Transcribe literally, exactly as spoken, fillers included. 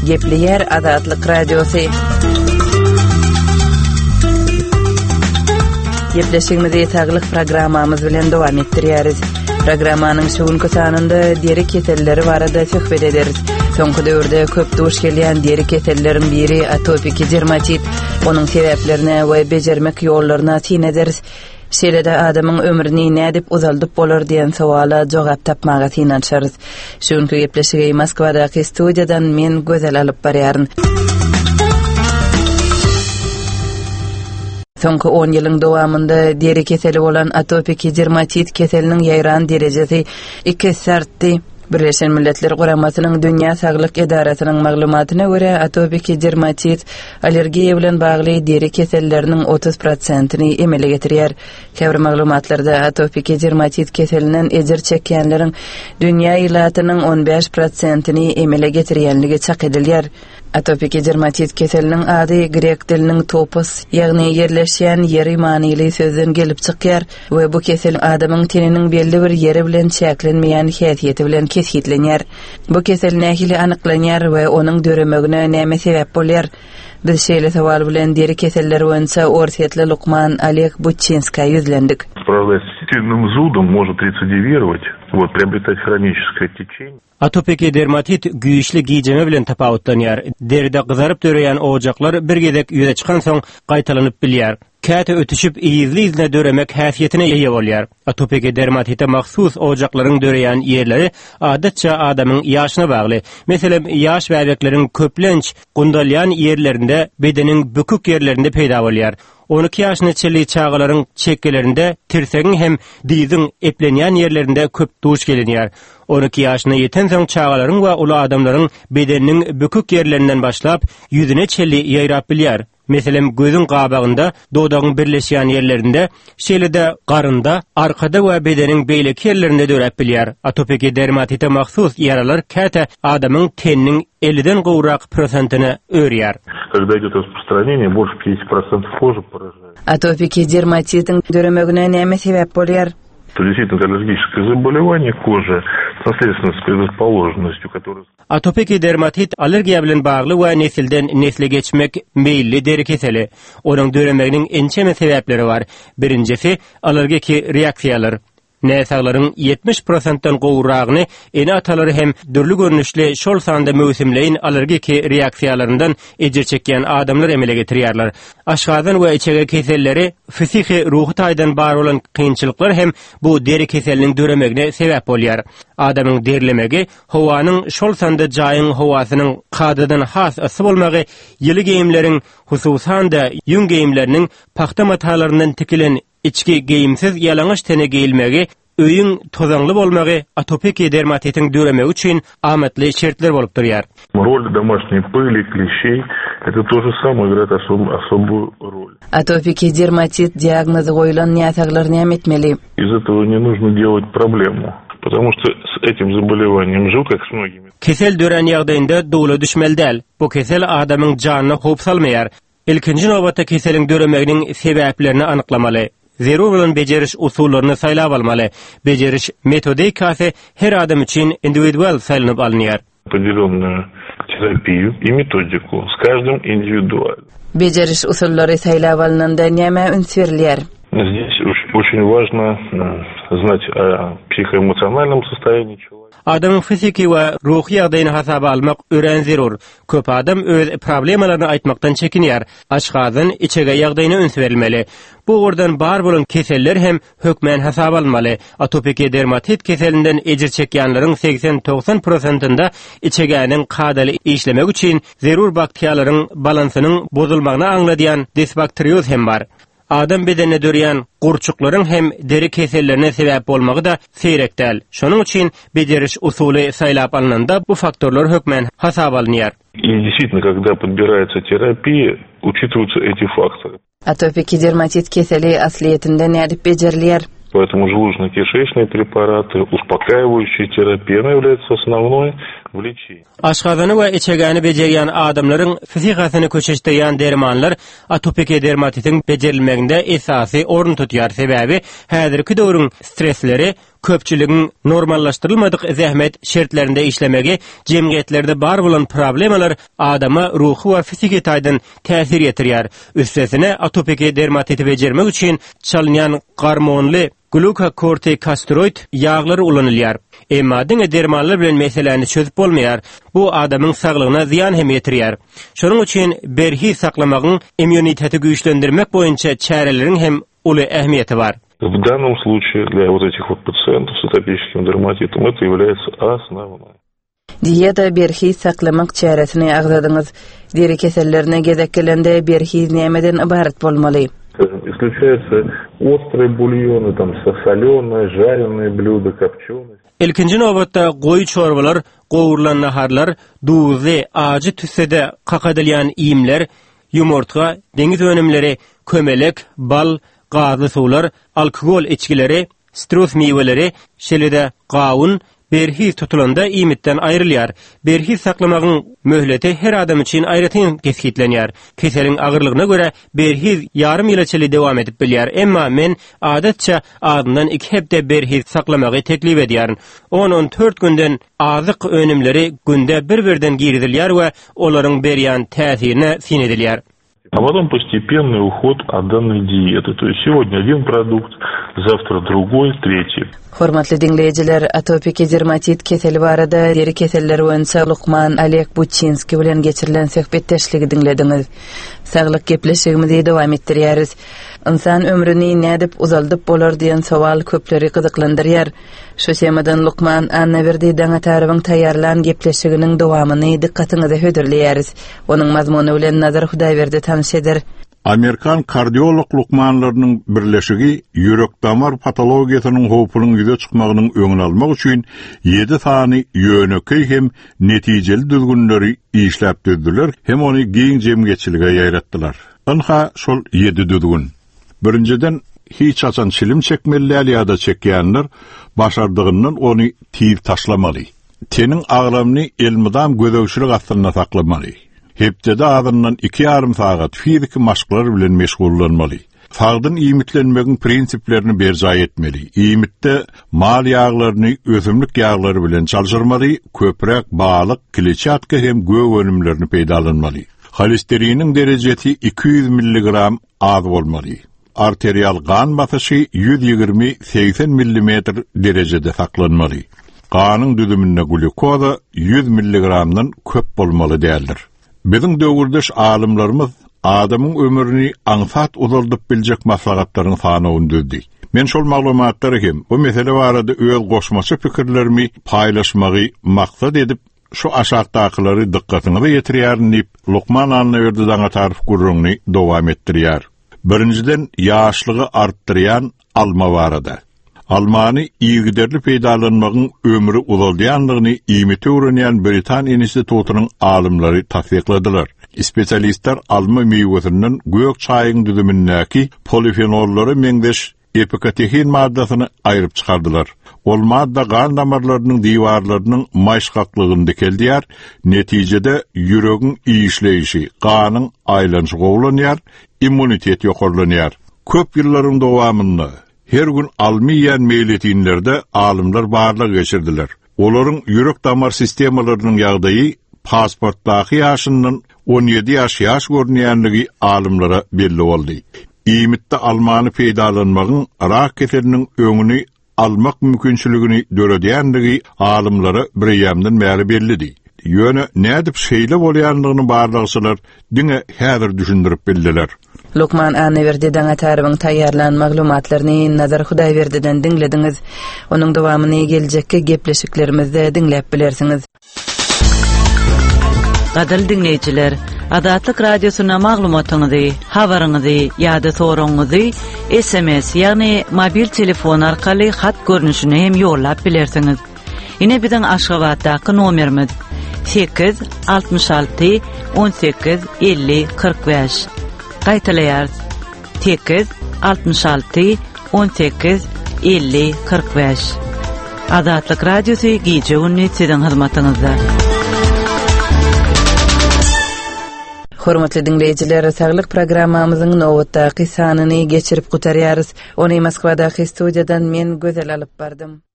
Gepleýär Azatlyk Radiosy. Gepleşigimizi saglyk programmamyz bilen dowam etdirýäris. Programmanyň şu günki sanynda deri keselleri barada söhbet ederis. Soňky döwürde köp duş gelýän deri keselleriň biri atopiki dermatit. Onuň sebäplerine we bejermek ýollaryna syn ederis. Şeýle-de adamyň ömrüni nädip uzaldyp bolar diýen sowala jogap tapmaga synanyşarys. Şu günki gepleşigi Moskwadaky studiýadan men Gözel alyp barýaryn. Soňky on ýylyň dowamynda deri keseli bolan atopiki dermatit keseliniň ýaýran derejesi iki esse artdy. Birleşen Milletler Guramasynyň Dünýä Saglyk Edarasynyň maglumatyna görä, atopiki dermatit allergiýa bilen bagly deri keselleriniň otuz prosentini emele getirýär. Käbir maglumatlarda atopiki dermatit keselinden ejir çekýänleriň dünýä ilatynyň on bäş prosentini emele getirýänligi çak edilýär. Atopiki dermatit keseliniň ady grek diliniň topos, ýagny ýerleşýän ýeri manyly sözden gelip çykýar we bu kesel adamyň teniniň belli bir ýeri bilen çäklenmeýän häsiýeti bilen kesgitlenýär. Bu kesel nähili anyklanýar we onuň döremegine näme sebäp bolýar? Biz şeýle sowal bilen deri keselleri boýunça orsýetli lukman Oleg Butçinska ýüzlendik. Справляясь с сильным зудом, может рецидивировать, вот, приобретать хроническое течение. Atopiki dermatit güýçli gijeme bilen tapawutlanýar. Deride gyzaryp döreýän ojaklar bir gezek ýüze çykansoň gaýtalanyp bilýär. Käte ötüşip ýyly-ýylyna döremek häsiýetine eýe bolýar. Atopiki dermatite mahsus ojaklaryň döreýän ýerleri adatça adamyň ýaşyna bagly. Meselem, ýaş bäbekleriň köplenç gundalýan ýerlerinde, bedeniň bükük ýerlerinde peýda bolýar. on iki ýaşyna çenli çagalaryň çekgelerinde tirsegiň hem dyzyň eplenýän ýerlerinde köp duş gelinýär. on iki ýaşyna ýetensoň çagalaryň we uly adamlaryň bedeniniň bükük ýerlerinden başlap ýüzüne çenli ýaýrap bilýär. Meselem, gözüň gabagynda, dodagyň birleşýän ýerlerinde, şeýle-de garynda, arkada we bedeniň beýleki ýerlerinde döräp bilýär. Atopiki dermatite mahsus ýaralar käte adamyň teniniň elliden gowrak prosentine örýär. Когда идет распространение, больше пятидесяти процентов кожи поражает. Atopiki dermatitiň döremegine näme sebäp bolýar? Это действительно аллергическое заболевание кожи с наследственной предрасположенностью, которая Atopiki dermatit allergiýa bilen bagly we nesilden nesle geçmek meýilli deri keseli. Onuň döremeginiň ençeme sebäpleri bar. Birinjisi allergiki reaksiýalar. Näsaglaryň ýetmiş prosentden gowragyny ene-atalary hem dürli görnüşli şol sanda möwsümleýin allergiki reaksiýalaryndan ejir çekýän adamlar emele getirýärler. Aşgazan we içege keselleri, fiziki ruhy taýdan bar bolan kynçylyklar hem bu deri keseliniň döremegine sebäp bolýar. Adamyň derlemegi, howanyň şol sanda jaýyň howasynyň kadadan has yssy bolmagy, ýyly geýimleriň, hususan-da ýüň geýimleriniň pagta matalaryndan tikilen içki geýimsiz ýalaňaç tene geýilmegi, öýüň tozaňly bolmagy atopiki dermatitiň döremegi üçin amatly şertler bolup durýar. Роль домашней пыли, клещей, это то же самое играет особ-, особую роль. Atopiki dermatit diagnozy goýlan näsaglar näme etmeli? Из этого не нужно делать проблему, потому что с этим заболеванием живут, как с многими. Kesel dörän ýagdaýynda dowla düşmeli däl. Bu kesel adamyň janyna howp salmaýar. Ilkinji nobatda keseliň döremeginiň sebäplerini anyklamaly. Zerur bolan beceriş usullaryny saýlap almaly. Beceriş metodikasy her adam üçin individual saýlanyp alynýar. Определенную терапию и методику с каждым индивидуально. Beceriş usullary saýlap alynanda näme üns berilýär? Здесь очень важно, м, знать о психоэмоциональном состоянии человека. Adamyň fiziki we ruhy ýagdaýyny hasaba almak örän zerur. Köp adam öz problemalaryny aýtmakdan çekinýär. Aşgazan içege ýagdaýyna üns berilmeli. Bu ugurdan bar bolan keseller hem hökmän hasaba alynmaly. Atopiki dermatit keselinden ejir çekýänleriň seksen togsan prosentinde içegäniň kadaly işlemek üçin zerur bakteriýalaryň balansynyň bozulmagyny aňladýan disbakterioz hem bar. Adam bedenine dörýän gurçuklaryň hem deri kesellerine sebäp bolmagy da seýrek däl. Şonuň üçin beceriş usuly saýlap alynanda bu faktorlar hökmän hasaba alynýar. И действительно, когда подбирается терапия, учитываются эти факторы. Atopiki dermatit keseli aslyýetinde nädip bejerilýär? Поэтому желудочно-кишечные препараты, успокаивающие терапия, она является основной в лечении. Aşgazany we içegäni bejerýän adamlaryň psihikasyny köşeşdirýän dermanlar atopiki dermatitiň bejerilmeginde esasy orun tutýar. Sebäbi häzirki döwrüň stresleri köpçüligiň normallaşdyrylmadyk zähmet şertlerinde işlemegi, jemgyýetlerde bar bolan problemalar adama ruhy we fiziki taýdan täsir ýetirýär. Üstesine atopiki dermatiti bejermek üçin çalynýan gormonly glukokortikosteroid ýaglary ulanylýar. Emma diňe dermanlar bilen meseläni çözüp bolmaýar. Bu adamyň saglygyna zyýan hem ýetirýär. Şonuň üçin berhiz saklamagyň immuniteti güýçlendirmek boýunça çäreleriň hem uly ähmiýeti bar. В данном случае для вот этих вот пациентов с атопическим дерматитом это является основной. Dieta berhiz saklamak çäresini agzadyňyz. Deri kesellerine gezek gelende berhiz nämeden ybarat bolmaly? Скажем, исключаются острые бульоны, там, соленые, жареные блюда, копченые. Ilkinji nobatda goýy çorbalar, gowrulan naharlar, duzly, ajy tüssede kakadylýan iýmler, ýumurtga, deňiz önümleri, kömelek, bal, gazly suwlar, alkogol içgileri, sitrus miweleri, şeýle-de gawun, berhiz tutulanda iýmitden aýrylýar. Berhiz saklamagyň möhleti her adam üçin aýratyn kesgitlenýär. Keseliň agyrlygyna görä berhiz ýarym ýyla çenli dowam edip bilýär. Emma men adatça azyndan iki hepde berhiz saklamagy teklip edýärin. On-on dört günden azyk önümleri günde bir-birden girizilýär we olaryň berýän täsirine syn edilýär. А потом постепенный уход от данной диеты. То есть сегодня один продукт, завтра другой, третий. Hormatly diňleýjiler, atopiki dermatit keseli barada deri keselleri boýunça lukman Oleg Buçinskiý bilen geçirilen söhbetdeşligi diňlediňiz. Saglyk gepleşigimizi dowam etdirýäris. Insan ömrüni nädip uzaldyp bolar diýen sowal köpleri gyzyklandyrýar. Şu temadan lukman Annaberdi Daňatarowyň taýýarlan gepleşiginiň dowamyny dykgatyňyza hödürleýäris. Onuň mazmuny bilen Nazar Hudaýberdi tanyş eder. Amerikan kardiolog lukmanlarynyň birleşigi ýürek damar patologiýasynyň howpunyň ýüze çykmagynyň öňüni almak üçin ýedi sany ýönekeý hem netijeli düzgünleri işläp düzdüler, hem ony giň jemgyýetçilige ýaýratdylar. Ynha şol ýedi düzgün. Birinjiden hiç haçan çilim çekmeli däl ýa-da çekýänler başardygyndan ony tiz taşlamaly. Teniň agramyny elmydam gözegçilik astynda saklamaly. Hepdede azyndan iki ýarym sagat fiziki maşklar bilen meşgullanmaly. Sagdyn iýmitlenmegiň prinsiplerini berjaý etmeli. Iýmitde mal ýaglaryny ösümlik ýaglary bilen çalşyrmaly, köpräk balyk, kleçatka hem gök önümlerini peýdalanmaly. Holesteriniň derejesi iki ýüz milligram az bolmaly. Arterial gan basyşy ýüz ýigrimi segsen millimetr derejede saklanmaly. Ganyň düzüminde glukoza ýüz milligramdan köp bolmaly däldir. Biziň döwürdeş alymlarymyz adamyň ömrüni aňsat uzaldyp biljek maslahatlaryň sanawyny düzdü. Men şol maglumatlary hem bu mesele barada öz goşmaça pikirlerimi paýlaşmagy maksat edip şu aşakdakylary dykgatyňyza ýetirýärin diýip Lukman Annaberdi Daňatarow gürrüňini dowam etdirýär. Birinjiden ýaşlygy artdyrýan alma barada. Almany yzygiderli peýdalanmagyň ömri uzaldýanlygyny iýmiti öwrenýän Britan institutynyň alymlary tassykladylar. Spesialistler alma miwesinden gök çaýyň düzümindäki polifenollara meňzeş epikatehin maddasyny aýryp çykardylar. Ol madda gan damarlarynyň diwarlarynyň maýyşgaklygyny dikeldýär, netijede ýüregiň işleýşi, ganyň aýlanyşy gowulanýar, immunitet ýokarlanýar. Köp ýyllaryň dowamynda her gün alma iýen meýletinlerde alymlar barlag geçirdiler. Olaryň ýürek damar sistemalarynyň ýagdaýy pasportdaky ýaşyndan on ýedi ýaş ýaş görünýänligi alymlara belli boldy. Iýmitde almany peýdalanmagyň rak keseliniň öňüni almak mümkinçiligini döredýänligi alymlara bir bäri bellidi. Ýöne nädip şeýle bolýanlygyny barlagçylar diňe häzir düşündirip bildiler. Lukman Annaberdi Daňatarowyň taýýarlan maglumatlaryny Nazar Hudaýberdiden diňlediňiz. Onuň dowamyny geljekki gepleşiklerimizde diňläp bilersiňiz. Gadyrly diňleýjiler, Azatlyk Radiosyna maglumatyňyzy, habaryňyzy ýa-da soragyňyzy S M S, ýagny mobil telefon arkaly hat görnüşine hem ýollap bilersiňiz. Ine biziň Aşgabatdaky nomerimiz sekiz altmyş alty on sekiz elli kyrk bäş. Gaýtalaýarys. Sekiz altmyş alty on sekiz elli kyrk bäş. Azatlyk Radiosy gije-gündiz siziň hyzmatyňyzda. Hormatly diňleýjiler, saglyk programmamyzyň nobatdaky sanyny geçirip gutarýarys. Ony Moskwadaky studiýadan men Gözel alyp bardym.